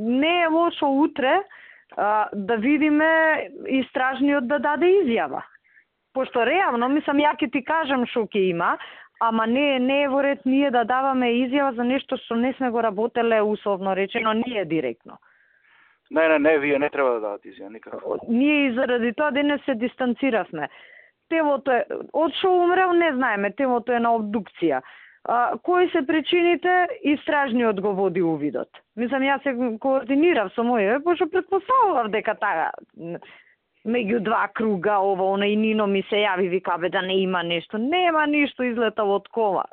Не е лошо утре да видиме истражниот да даде изјава. Пошто реално, ја ќе ти кажам што ќе има, ама не е во ред ние да даваме изјава за нешто што не сме го работеле, условно речено, ние директно. Не, вие не треба да дадат изјава никако. Ние и заради тоа денес се дистанциравме. Телото е, од што умрел не знаеме, телото е на обдукција. Кои се причините, истражниот го води увидот. Јас се координирав со моје, пошто претпоставував дека таа меѓу два круга, ова, она и Нино ми се јави, вика, да не има нешто. Нема ништо излетало од кола.